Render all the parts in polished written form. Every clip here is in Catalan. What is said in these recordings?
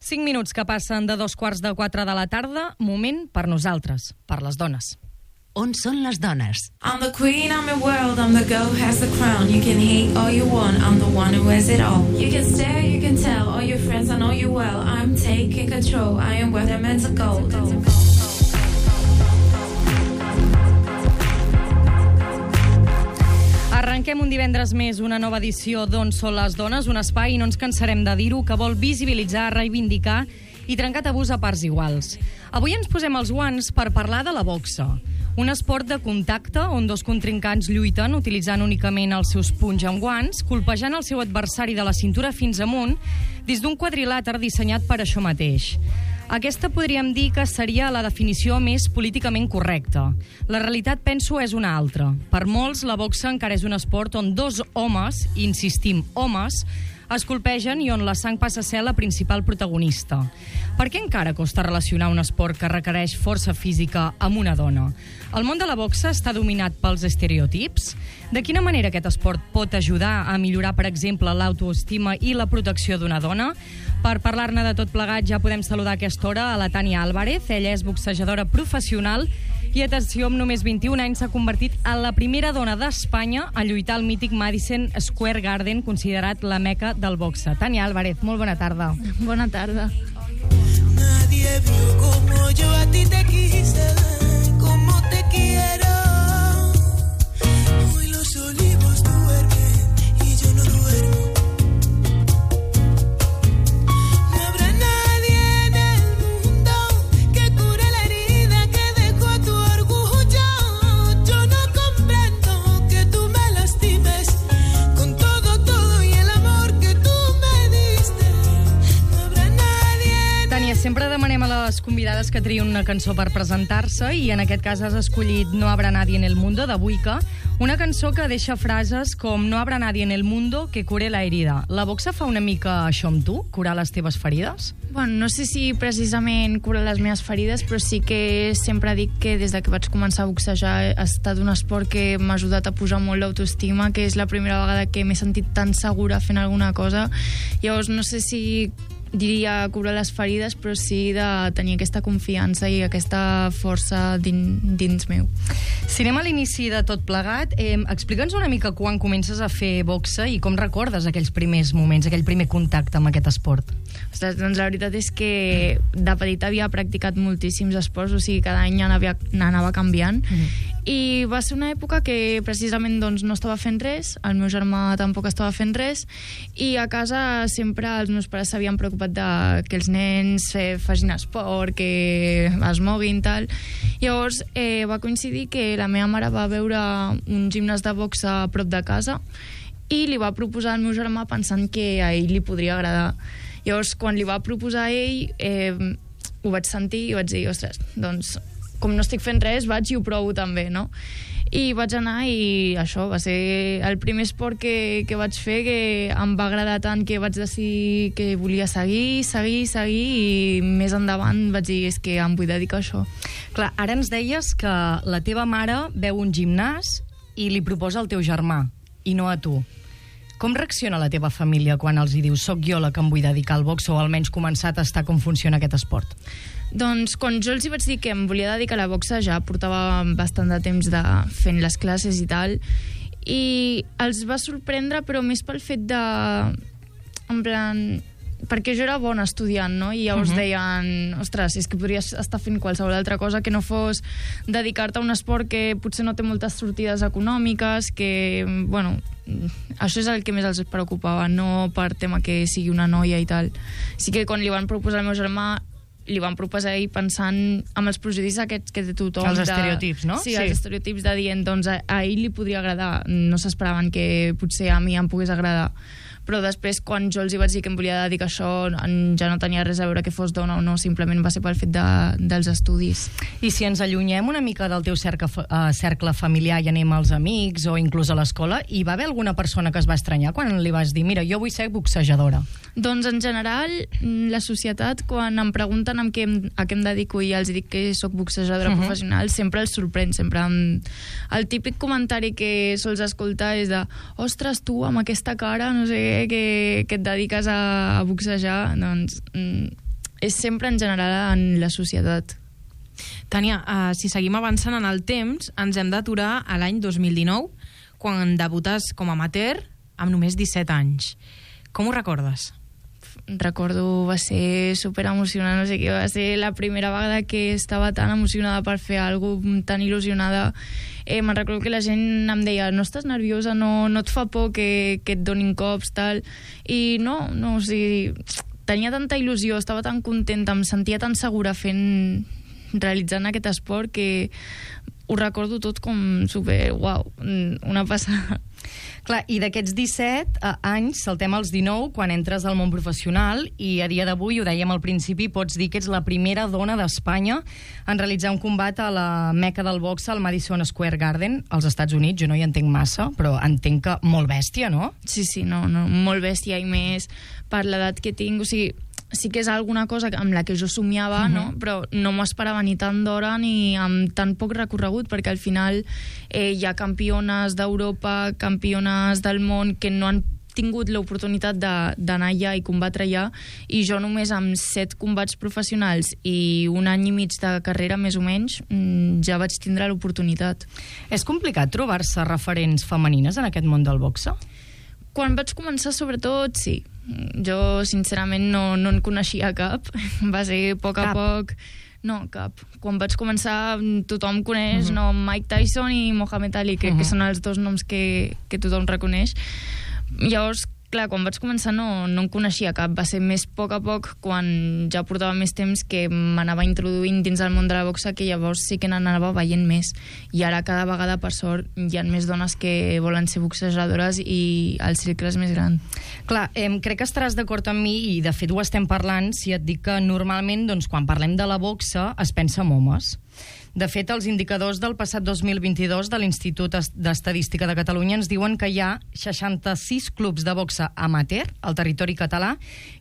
5 minuts que passen de 3:45 de la tarda, moment per nosaltres, per les dones. On són les dones? I'm the queen, I'm the world, I'm the girl who has the crown. You can hate all you want, I'm the one who has it all. You can stare, you can tell, all your friends, I know you well. I'm taking control, I am where they're meant to go. Arrenquem un divendres més una nova edició d'On són les dones, un espai, i no ens cansarem de dir-ho, que vol visibilitzar, reivindicar i trencar tabús a parts iguals. Avui ens posem els guants per parlar de la boxa, un esport de contacte on dos contrincants lluiten utilitzant únicament els seus punys amb guants, colpejant el seu adversari de la cintura fins amunt dins d'un quadrilàter dissenyat per això mateix. Aquesta podríem dir que seria la definició més políticament correcta. La realitat, penso, és una altra. Per molts, la boxa encara és un esport on dos homes, insistim, homes, es colpegen i on la sang passa a ser la principal protagonista. Per què encara costa relacionar un esport que requereix força física amb una dona? El món de la boxa està dominat pels estereotips? De quina manera aquest esport pot ajudar a millorar, per exemple, l'autoestima i la protecció d'una dona? Per parlar-ne de tot plegat ja podem saludar a aquesta hora a la Tània Álvarez. Ella és boxejadora professional i, atenció, amb només 21 anys s'ha convertit en la primera dona d'Espanya a lluitar al mític Madison Square Garden, considerat la meca del boxe. Tània Álvarez, molt bona tarda. Bona tarda. Nadie vio como yo a ti te quise, como te quiero. Hoy los olivos duermen y yo no duermo. No habrá nadie en el mundo que cure la herida que dejó tu orgullo. Yo no comprendo que tú me lastimes con todo y el amor que tú me diste. No habrá nadie. Tània, sempre demanem a les convidades que triïn una cançó per presentar-se i en aquest cas has escollit No habrá nadie en el mundo, de Buica, una cançó que deixa frases com No habrá nadie en el mundo que cure la herida. La boxa fa una mica això amb tu, curar les teves ferides? Bueno, no sé si precisament cura les meves ferides, però sí que sempre dic que des de que vaig començar a boxejar ha estat un esport que m'ha ajudat a posar molt l'autoestima, que és la primera vegada que m'he sentit tan segura fent alguna cosa. Llavors, no sé si diria curar les ferides, però sí de tenir aquesta confiança i aquesta força dins meu. Si anem a l'inici de tot plegat, explica'ns una mica quan comences a fer boxa i com recordes aquells primers moments, aquell primer contacte amb aquest esport. Ostres, doncs la veritat és que de petita havia practicat moltíssims esports, o sigui, cada any anava canviant, i va ser una època que precisament doncs, no estava fent res, el meu germà tampoc estava fent res, i a casa sempre els meus pares s'havien preocupat de que els nens facin esport, que es moguin, tal. Llavors va coincidir que la meva mare va veure un gimnàs de boxa a prop de casa i li va proposar al meu germà pensant que a ell li podria agradar. Llavors, quan li va proposar a ell, ho vaig sentir i vaig dir, ostres, doncs, com no estic fent res, vaig i ho provo també, no? I vaig anar i això va ser el primer esport que vaig fer, que em va agradar tant que vaig decidir que volia seguir i més endavant vaig dir, és que em vull dedicar a això. Clar, ara ens deies que la teva mare veu un gimnàs i li proposa al teu germà i no a tu. Com reacciona la teva família quan els hi dius soc jo la que em vull dedicar al box, o almenys començar a tastar com funciona aquest esport? Doncs quan jo els hi vaig dir que em volia dedicar a la boxa, ja portava bastant de temps fent les classes i tal, i els va sorprendre, però més pel fet de... en plan... perquè jo era bona estudiant, no? I llavors deien, ostres, és que podries estar fent qualsevol altra cosa que no fos dedicar-te a un esport que potser no té moltes sortides econòmiques, que, bueno, això és el que més els preocupava, no per tema que sigui una noia i tal. Sí que quan li van proposar al meu germà, li van proposar ell pensant en els prejudicis aquests que té tothom. Els estereotips, no? Sí, els estereotips de dient, doncs a ell li podria agradar. No s'esperaven que potser a mi em pogués agradar. Però després, quan jo els hi vaig dir que em volia dedicar a això, ja no tenia res a veure que fos dona o no, simplement va ser pel fet dels estudis. I si ens allunyem una mica del teu cercle familiar i anem als amics o inclús a l'escola, hi va haver alguna persona que es va estranyar quan li vas dir, mira, jo vull ser boxejadora? Doncs en general, la societat, quan em pregunten a què em dedico i els dic que sóc boxejadora professional, sempre els sorprèn, sempre el típic comentari que sols escoltar és de, ostres, tu amb aquesta cara, no sé què, que et dediques a boxejar, doncs és sempre en general en la societat. Tània, si seguim avançant en el temps, ens hem d'aturar a l'any 2019, quan debutes com a amateur amb només 17 anys. Com ho recordes? Recordo, va ser super emocionant, no sé què, va ser la primera vegada que estava tan emocionada per fer alguna cosa, tan il·lusionada. Me'n recordo que la gent em deia, no estàs nerviosa, no et fa por que et donin cops, tal, i no, o sigui, tenia tanta il·lusió, estava tan contenta, em sentia tan segura realitzant aquest esport que ho recordo tot com super, uau, una passada. Clar, i d'aquests 17 anys saltem als 19 quan entres al món professional i a dia d'avui, ho dèiem al principi, pots dir que ets la primera dona d'Espanya en realitzar un combat a la meca del boxe al Madison Square Garden als Estats Units. Jo no hi entenc massa, però entenc que molt bèstia, no? Sí, no, molt bèstia, i més per l'edat que tinc, o sigui, sí que és alguna cosa amb la que jo somiava, no? Però no m'ho esperava ni tant d'hora ni amb tan poc recorregut, perquè al final hi ha campiones d'Europa, campiones del món que no han tingut l'oportunitat d'anar allà i combatre allà, i jo només amb 7 combats professionals i un any i mig de carrera, més o menys, ja vaig tindre l'oportunitat. És complicat trobar-se referents femenines en aquest món del boxe? Quan vaig començar, sobretot, sí. Jo, sincerament, no en coneixia cap. Va ser a poc. No, cap. Quan vaig començar, tothom coneix Mike Tyson i Mohamed Ali, que són els dos noms que tothom reconeix. Llavors, clar, quan vaig començar no en coneixia cap. Va ser més a poc, quan ja portava més temps, que m'anava introduint dins el món de la boxa, que llavors sí que n'anava veient més. I ara cada vegada, per sort, hi ha més dones que volen ser boxejadores i el cercle és més gran. Clar, crec que estaràs d'acord amb mi, i de fet ho estem parlant, si et dic que normalment, doncs, quan parlem de la boxa es pensa en homes. De fet, els indicadors del passat 2022 de l'Institut d'Estadística de Catalunya ens diuen que hi ha 66 clubs de boxa amateur al territori català,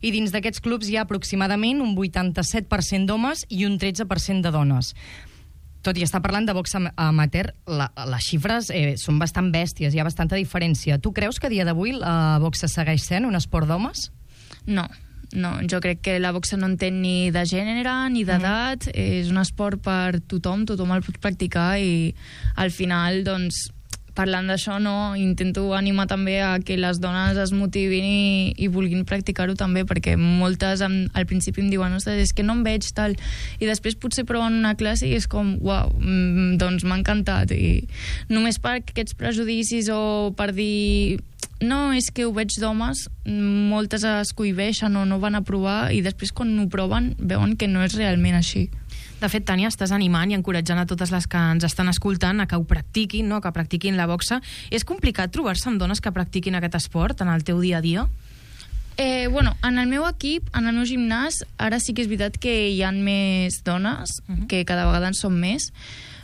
i dins d'aquests clubs hi ha aproximadament un 87% d'homes i un 13% de dones. Tot i estar parlant de boxa amateur, les xifres són bastant bèsties, hi ha bastanta diferència. Tu creus que a dia d'avui la boxa segueix sent un esport d'homes? No, jo crec que la boxa no entén ni de gènere ni d'edat, és un esport per tothom el pot practicar, i al final, doncs, parlant d'això, intento animar també a que les dones es motivin i vulguin practicar-ho també, perquè moltes al principi em diuen, ostres, és que no em veig tal, i després potser proven una classe i és com, uau, doncs m'ha encantat, i només per aquests prejudicis o per dir no, és que ho veig d'homes, moltes es cohibeixen o no van a provar, i després quan ho proven veuen que no és realment així. De fet, Tània, estàs animant i encoratjant a totes les que ens estan escoltant a que ho practiquin, que practiquin la boxa. És complicat trobar-se amb dones que practiquin aquest esport en el teu dia a dia? En el meu equip, en el meu gimnàs, ara sí que és veritat que hi ha més dones, que cada vegada en són més,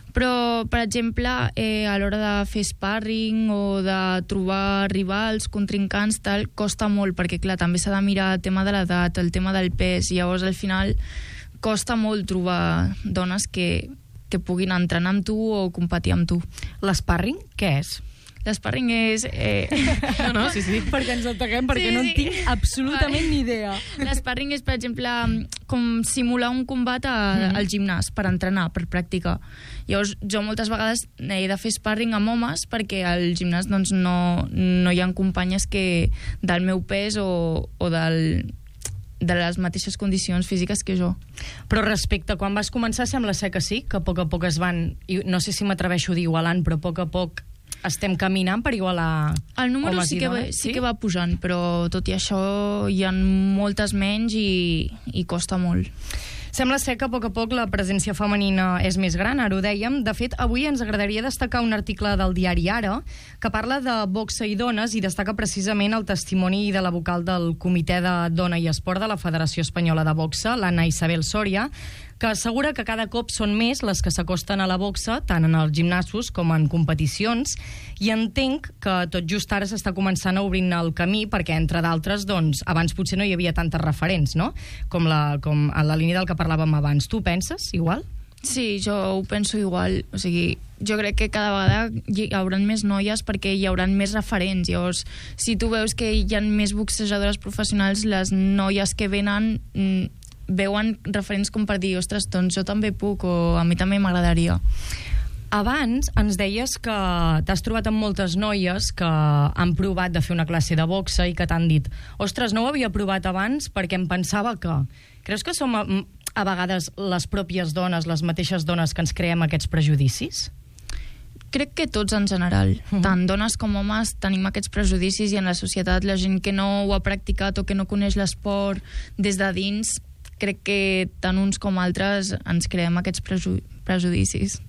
però, per exemple, a l'hora de fer sparring o de trobar rivals, contrincants, tal, costa molt, perquè, clar, també s'ha de mirar el tema de l'edat, el tema del pes, i llavors, al final, costa molt trobar dones que puguin entrenar amb tu o competir amb tu. L'sparring, què és? L'sparring és... Sí. Perquè ens ataquem, perquè no en tinc absolutament ni idea. L'sparring és, per exemple, com simular un combat al gimnàs, per entrenar, per practicar. Llavors, jo moltes vegades he de fer sparring amb homes, perquè al gimnàs doncs, no hi ha companyes que del meu pes o de les mateixes condicions físiques que jo. Però respecte a quan vas començar, sembla ser que sí, que a poc es van, no sé si m'atreveixo a dir igualant, però a poc estem caminant per igualar el número homes i dones. Sí que va pujant, però tot i això hi ha moltes menys i costa molt. Sembla ser que a poc la presència femenina és més gran, ara ho dèiem. De fet, avui ens agradaria destacar un article del diari Ara que parla de boxa i dones i destaca precisament el testimoni de la vocal del Comitè de Dona i Esport de la Federació Espanyola de Boxa, l'Anna Isabel Soria, que assegura que cada cop són més les que s'acosten a la boxa, tant en els gimnasos com en competicions, i entenc que tot just ara s'està començant a obrir el camí, perquè, entre d'altres, doncs, abans potser no hi havia tantes referents, no? Com a la línia del que parlàvem abans. Tu penses igual? Sí, jo ho penso igual. O sigui, jo crec que cada vegada hi haurà més noies perquè hi haurà més referents. Llavors, si tu veus que hi ha més boxejadores professionals, les noies que venen veuen referents com per dir, ostres, doncs jo també puc, o a mi també m'agradaria. Abans ens deies que t'has trobat amb moltes noies que han provat de fer una classe de boxa i que t'han dit, ostres, no ho havia provat abans perquè em pensava que... Creus que som a vegades les pròpies dones, les mateixes dones que ens creem aquests prejudicis? Crec que tots en general, tant dones com homes, tenim aquests prejudicis i en la societat la gent que no ho ha practicat o que no coneix l'esport des de dins, crec que tant uns com altres ens creem aquests prejudicis.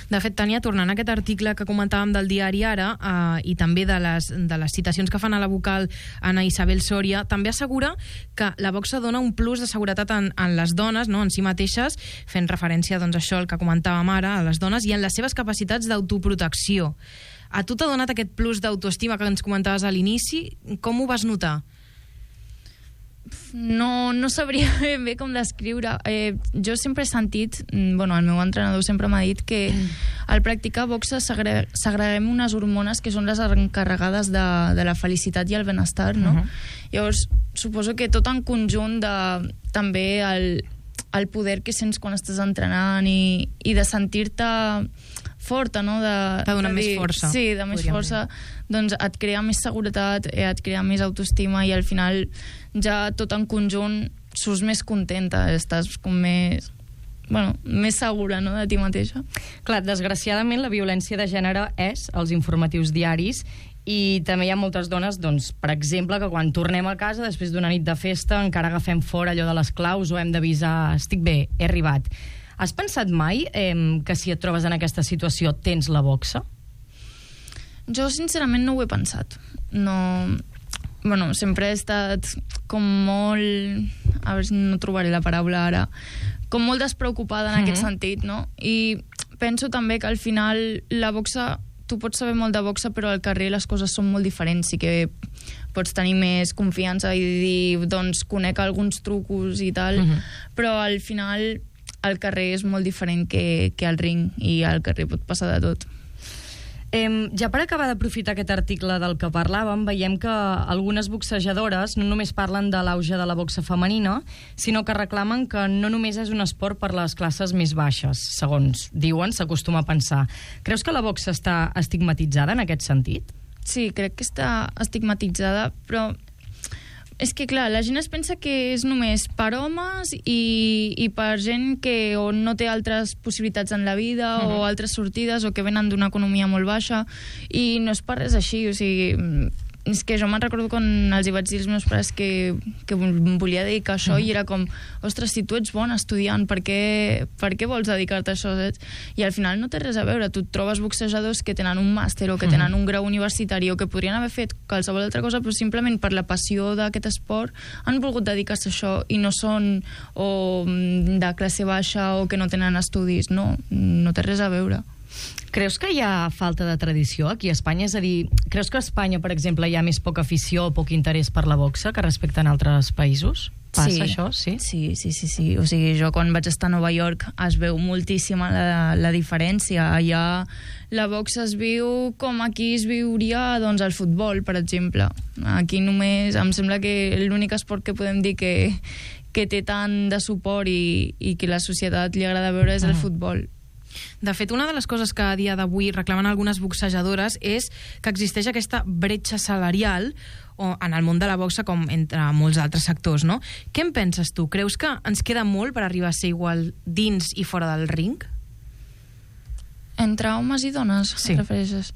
De fet, Tània, tornant a aquest article que comentàvem del diari Ara i també de les citacions que fan a la vocal Anna Isabel Soria, també assegura que la boxa dona un plus de seguretat en les dones, no?, en si mateixes, fent referència doncs, a això el que comentàvem ara, a les dones, i en les seves capacitats d'autoprotecció. A tu t'ha donat aquest plus d'autoestima que ens comentaves a l'inici? Com ho vas notar? No sabria ben bé com descriure. Jo sempre he sentit, el meu entrenador sempre m'ha dit que al practicar boxa segreguem unes hormones que són les encarregades de la felicitat i el benestar, no? Llavors, suposo que tot en conjunt també el poder que sents quan estàs entrenant i de sentir-te forta, no? De donar més força. Sí, de més força. Doncs et crea més seguretat, et crea més autoestima i al final ja tot en conjunt surts més contenta, estàs com més segura, no?, de ti mateixa. Clar, desgraciadament la violència de gènere és als informatius diaris i també hi ha moltes dones, doncs, per exemple, que quan tornem a casa després d'una nit de festa encara agafem fora allò de les claus o hem d'avisar, estic bé, he arribat. Has pensat mai que si et trobes en aquesta situació tens la boxa? Jo, sincerament, no ho he pensat. Sempre he estat com molt... A veure si no trobaré la paraula ara. Com molt despreocupada en aquest sentit, no? I penso també que al final la boxa... Tu pots saber molt de boxa, però al carrer les coses són molt diferents. Sí que pots tenir més confiança i dir, doncs, conec alguns trucos i tal, però al final al carrer és molt diferent que al ring i al carrer pot passar de tot. Ja per acabar d'aprofitar aquest article del que parlàvem, veiem que algunes boxejadores no només parlen de l'auge de la boxa femenina, sinó que reclamen que no només és un esport per les classes més baixes, segons diuen, s'acostuma a pensar. Creus que la boxa està estigmatitzada en aquest sentit? Sí, crec que està estigmatitzada, però és que, clar, la gent es pensa que és només per homes i per gent que o no té altres possibilitats en la vida o altres sortides o que venen d'una economia molt baixa i no és per res així, o sigui... És que jo me'n recordo quan els hi vaig dir als meus pares que volia dedicar a això i era com, ostres, si tu ets bon estudiant, per què vols dedicar-te a això? Saps? I al final no té res a veure, tu et trobes boxejadors que tenen un màster o que tenen un grau universitari o que podrien haver fet qualsevol altra cosa, però simplement per la passió d'aquest esport han volgut dedicar-se a això i no són o de classe baixa o que no tenen estudis, no té res a veure. Creus que hi ha falta de tradició aquí a Espanya? És a dir, creus que a Espanya, per exemple, hi ha més poca afició o poc interès per la boxa que respecte en altres països? Passa això, sí? Sí. O sigui, jo quan vaig estar a Nova York es veu moltíssima la diferència. Allà la boxa es viu com aquí es viuria doncs, el futbol, per exemple. Aquí només em sembla que l'únic esport que podem dir que té tant de suport i que la societat li agrada veure és el futbol. De fet, una de les coses que a dia d'avui reclamen algunes boxejadores és que existeix aquesta bretxa salarial en el món de la boxa com entre molts altres sectors, no? Què en penses tu? Creus que ens queda molt per arribar a ser igual dins i fora del ring? Entre homes i dones, sí. Refereixes?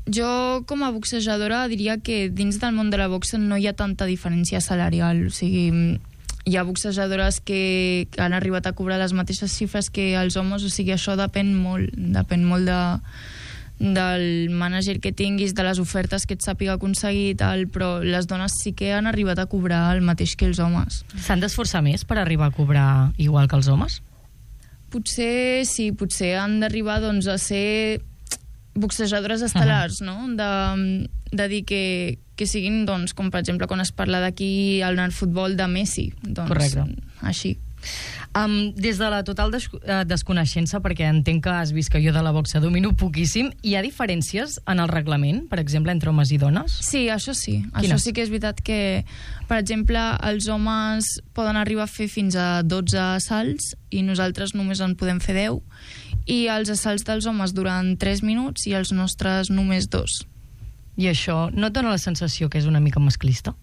Jo com a boxejadora diria que dins del món de la boxa no hi ha tanta diferència salarial, o sigui... Hi ha boxejadores que han arribat a cobrar les mateixes xifres que els homes, o sigui, això depèn molt del mànager que tinguis, de les ofertes que et sàpiga aconseguir i tal, però les dones sí que han arribat a cobrar el mateix que els homes. S'han d'esforçar més per arribar a cobrar igual que els homes? Potser sí, potser han d'arribar doncs, a ser boxejadores estel·lars, no? De dir que siguin, doncs, com per exemple quan es parla d'aquí al futbol de Messi, doncs, correcte. Així. Des de la total desconeixença, perquè entenc que has vist que jo de la boxa domino poquíssim, hi ha diferències en el reglament, per exemple, entre homes i dones? Sí, això sí. Quines? Això sí que és veritat que, per exemple, els homes poden arribar a fer fins a 12 assalts i nosaltres només en podem fer 10, i els assalts dels homes duran 3 minuts i els nostres només 2. I això no et dona la sensació que és una mica masclista?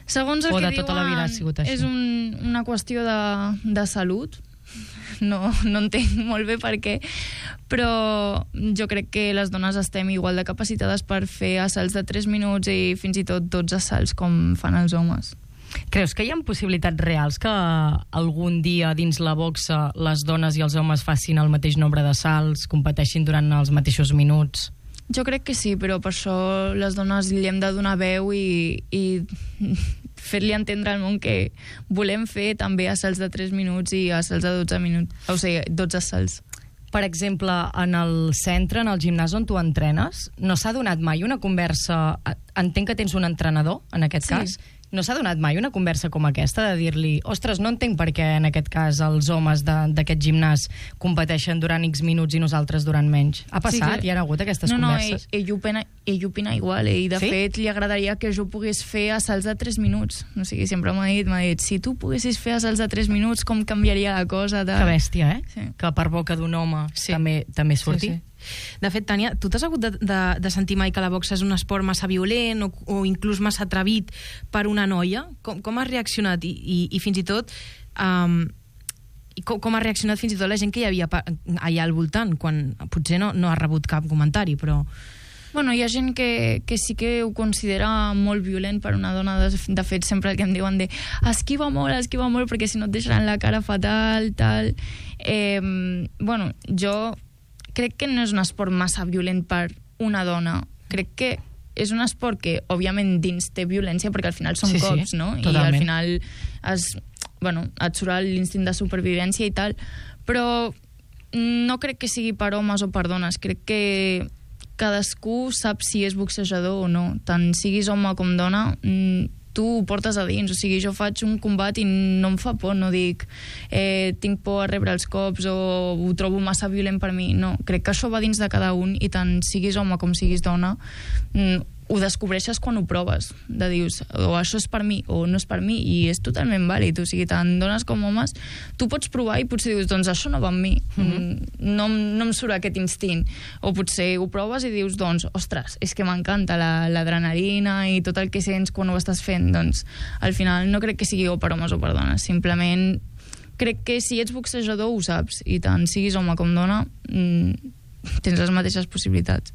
Segons el O que de tota la vida ha sigut així? és una qüestió de salut. No entenc molt bé per què, però jo crec que les dones estem igual de capacitades per fer assalts de 3 minuts i fins i tot 12 assalts com fan els homes. Creus que hi ha possibilitats reals que algun dia dins la boxa les dones i els homes facin el mateix nombre de salts, competeixin durant els mateixos minuts? Jo crec que sí, però per això les dones li hem de donar veu i fer-li entendre al món que volem fer també assalts de 3 minuts i assalts de 12 minuts, o sigui, 12 assalts. Per exemple, en el centre, en el gimnàs on tu entrenes, no s'ha donat mai una conversa... Entenc que tens un entrenador, en aquest cas. No s'ha donat mai una conversa com aquesta de dir-li ostres, no entenc per què en aquest cas els homes d'aquest gimnàs competeixen durant X minuts i nosaltres durant menys. Ha passat? Hi ha hagut aquestes converses? No, ell opina igual, i de fet li agradaria que jo pogués fer assalts de 3 minuts. O sigui, sempre m'ha dit, si tu poguessis fer assalts de 3 minuts, com canviaria la cosa? Que bèstia, eh? Sí. Que per boca d'un home també surti. Sí. De fet, Tània, tu t'has hagut de sentir mai que la boxa és un esport massa violent o inclús massa atrevit per una noia? Com has reaccionat? I fins i tot... com ha reaccionat fins i tot la gent que hi havia allà al voltant, quan potser no ha rebut cap comentari, però... Bueno, hi ha gent que sí que ho considera molt violent per una dona. De fet, sempre el que em diuen esquiva molt, perquè si no et deixaran la cara fatal, tal... Bueno, jo crec que no és un esport massa violent per una dona. Crec que és un esport que, òbviament, dins té violència, perquè al final són cops, no? Totalment. I al final et surt l'instint de supervivència i tal, però no crec que sigui per homes o per dones. Crec que cadascú sap si és boxejador o no. Tant siguis home com dona, tu ho portes a dins. O sigui, jo faig un combat i no em fa por, no dic tinc por a rebre els cops o ho trobo massa violent per mi. No, crec que això va dins de cada un, i tant siguis home com siguis dona, ho descobreixes quan ho proves, de dius, o això és per mi o no és per mi, i és totalment vàlid. O sigui, tant dones com homes, tu pots provar i potser dius, doncs això no va amb mi, no em surt aquest instint, o potser ho proves i dius, doncs, ostres, és que m'encanta l'adrenalina i tot el que sents quan ho estàs fent. Doncs al final no crec que sigui o per homes o per dones, simplement crec que si ets boxejador ho saps, i tant siguis home com dona, tens les mateixes possibilitats.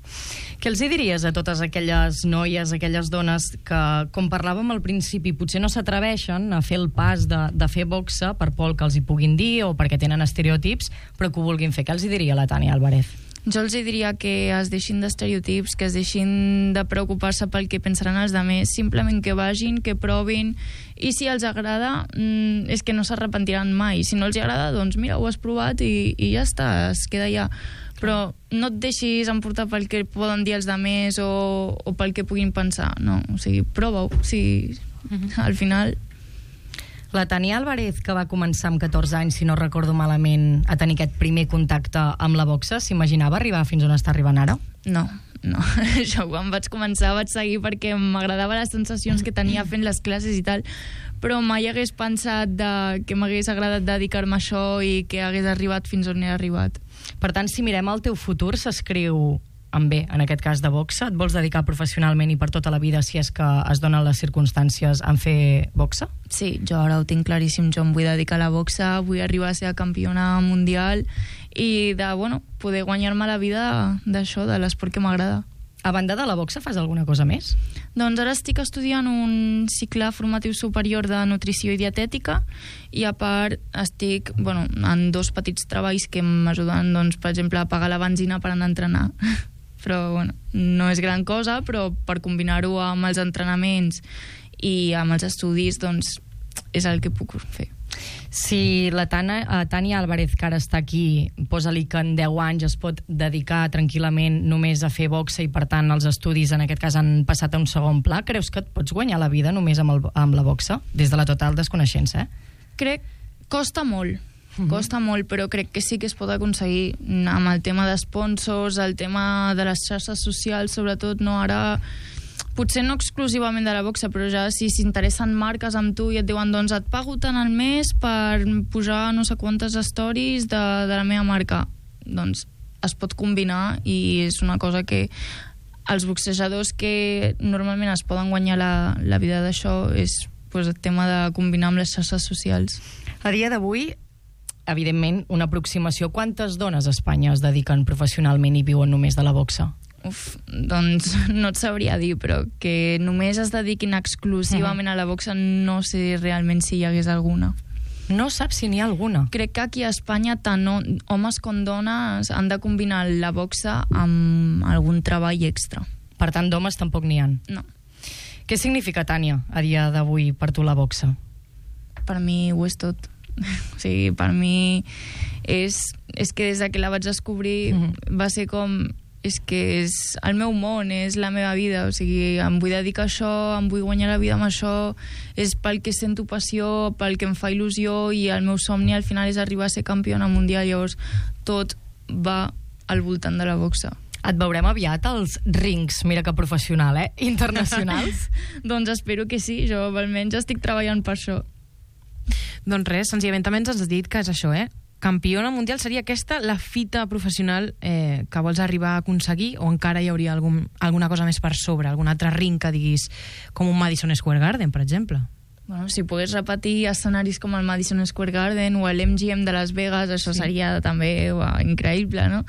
Què els diries a totes aquelles noies, aquelles dones que, com parlàvem al principi, potser no s'atreveixen a fer el pas de fer boxa per por que els hi puguin dir o perquè tenen estereotips, però que ho vulguin fer? Què els diria la Tània Álvarez? Jo els diria que es deixin d'estereotips, que es deixin de preocupar-se pel que pensaran els altres, simplement que vagin, que provin, i si els agrada, és que no s'arrepentiran mai. Si no els agrada, doncs mira, ho has provat i ja està, es queda allà. Però no et deixis emportar pel que poden dir els altres o pel que puguin pensar, no, o sigui, prova-ho, sí, al final... La Tània Álvarez, que va començar amb 14 anys, si no recordo malament, a tenir aquest primer contacte amb la boxa, s'imaginava arribar fins on està arribant ara? No. Jo quan vaig començar vaig seguir perquè m'agradava les sensacions que tenia fent les classes i tal, però mai hagués pensat que m'hagués agradat dedicar-me a això i que hagués arribat fins on he arribat. Per tant, si mirem el teu futur, s'escriu en bé, en aquest cas de boxa. Et vols dedicar professionalment i per tota la vida, si és que es donen les circumstàncies, en fer boxa? Sí, jo ara ho tinc claríssim. Jo em vull dedicar a la boxa, vull arribar a ser campiona mundial i de, poder guanyar-me la vida d'això, de l'esport que m'agrada. A banda de la boxa, fas alguna cosa més? Doncs ara estic estudiant un cicle formatiu superior de nutrició i dietètica, i a part estic en 2 petits treballs que m'ajuden, doncs, per exemple, a pagar la benzina per anar a entrenar. Però no és gran cosa, però per combinar-ho amb els entrenaments i amb els estudis, doncs és el que puc fer. Si la Tània Álvarez, que ara està aquí, posa-li que en 10 anys es pot dedicar tranquil·lament només a fer boxa i, per tant, els estudis en aquest cas han passat a un segon pla, creus que et pots guanyar la vida només amb la boxa? Des de la total desconeixença, Crec Costa molt, però crec que sí que es pot aconseguir amb el tema d'esponsors, el tema de les xarxes socials, sobretot, no? Ara, potser no exclusivament de la boxa, però ja si s'interessen marques amb tu i et diuen, doncs et pago tant al mes per pujar no sé quantes stories de la meva marca, doncs es pot combinar i és una cosa que els boxejadors que normalment es poden guanyar la vida d'això és pues, el tema de combinar amb les xarxes socials. A dia d'avui, evidentment, una aproximació. Quantes dones a Espanya es dediquen professionalment i viuen només de la boxa? Doncs no et sabria dir, però que només es dediquin exclusivament a la boxa no sé realment si hi hagués alguna. No saps si n'hi ha alguna? Crec que aquí a Espanya tant homes com dones han de combinar la boxa amb algun treball extra. Per tant, d'homes tampoc n'hi ha. No. Què significa, Tània, a dia d'avui per tu la boxa? Per mi ho és tot. O sigui, per mi és que des que la vaig descobrir va ser com... És que és el meu món, és la meva vida, o sigui, em vull dedicar a això, em vull guanyar la vida amb això, és pel que sento passió, pel que em fa il·lusió, i el meu somni al final és arribar a ser campiona mundial, llavors tot va al voltant de la boxa. Et veurem aviat als rings, mira que professional, internacionals? Doncs espero que sí, jo almenys estic treballant per això. Doncs res, senzillament també ens has dit que és això, campiona mundial, seria aquesta la fita professional que vols arribar a aconseguir, o encara hi hauria alguna cosa més per sobre, algun altre ring que diguis, com un Madison Square Garden, per exemple? Bueno, si pogués repetir escenaris com el Madison Square Garden o l'MGM de Las Vegas, això seria també increïble, no?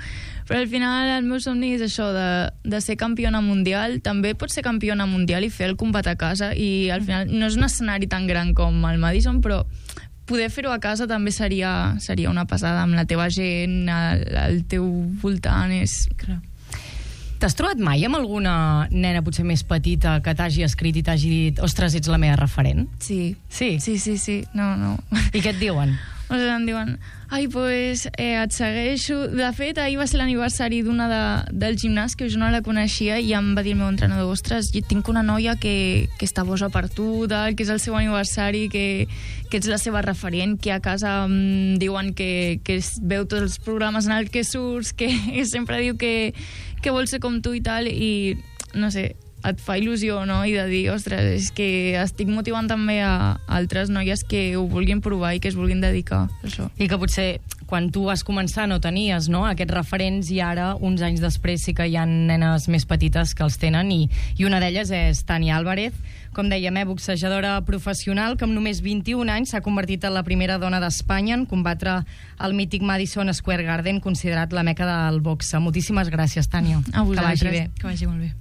Però al final el meu somni és això, de ser campiona mundial. També pots ser campiona mundial i fer el combat a casa, i al final no és un escenari tan gran com el Madison, però poder fer-ho a casa també seria una passada, amb la teva gent, al teu voltant. T'has trobat mai amb alguna nena potser més petita que t'hagi escrit i t'hagi dit ostres, ets la meva referent? Sí. Sí? Sí. No. I què et diuen? O sigui, em diuen, ai, pues, et segueixo. De fet, ahir va ser l'aniversari d'una del gimnàs, que jo no la coneixia, i em va dir el meu entrenador, ostres, jo tinc una noia que està boja per tu, que és el seu aniversari, que ets la seva referent, que a casa diuen que veu tots els programes en els que surts, que sempre diu que vol ser com tu i tal, i no sé, et fa il·lusió, no? I de dir, ostres, és que estic motivant també a altres noies que ho vulguin provar i que es vulguin dedicar a això. I que potser quan tu vas començar no tenies, no?, aquests referents, i ara, uns anys després, sí que hi ha nenes més petites que els tenen, i una d'elles és Tània Álvarez, com dèiem, boxejadora professional, que amb només 21 anys s'ha convertit en la primera dona d'Espanya en combatre el mític Madison Square Garden, considerat la meca del boxe. Moltíssimes gràcies, Tània. A vosaltres. Que vagi bé. Que vagi molt bé.